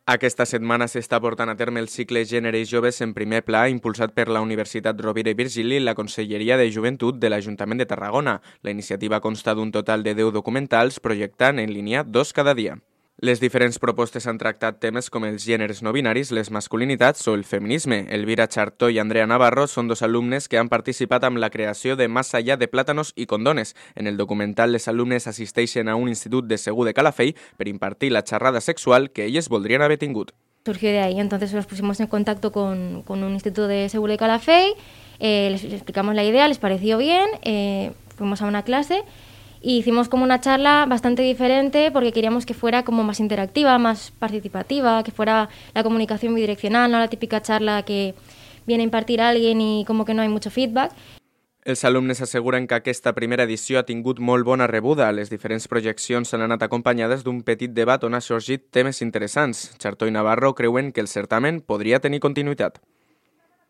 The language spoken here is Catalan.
Aquesta setmana s'està portant a terme el cicle Gènere i Joves en primer pla, impulsat per la Universitat Rovira i Virgili i la Conselleria de Joventut de l'Ajuntament de Tarragona. La iniciativa consta d'un total de 10 documentals, projectant en línia 2 cada dia. Les diferents propostes han tractat temes com els gèneres no binaris, les masculinitats o el feminisme. Elvira Chartó i Andrea Navarro són dos alumnes que han participat amb la creació de Más allá de plátanos i condones. En el documental, les alumnes assisteixen a un institut de Segur de Calafell per impartir la xerrada sexual que elles voldrien haver tingut. Surgió de ahí, entonces nos pusimos en contacto con un instituto de Segur de Calafell, les explicamos la idea, les pareció bien, fuimos a una clase y hicimos como una charla bastante diferente porque queríamos que fuera como más interactiva, más participativa, que fuera la comunicación bidireccional, no la típica charla que viene a impartir alguien y como que no hay mucho feedback. Els alumnes asseguren que aquesta primera edició ha tingut molt bona rebuda. Les diferents projeccions han anat acompanyades d'un petit debat on ha sorgit temes interessants. Chartó i Navarro creuen que el certamen podria tenir continuïtat.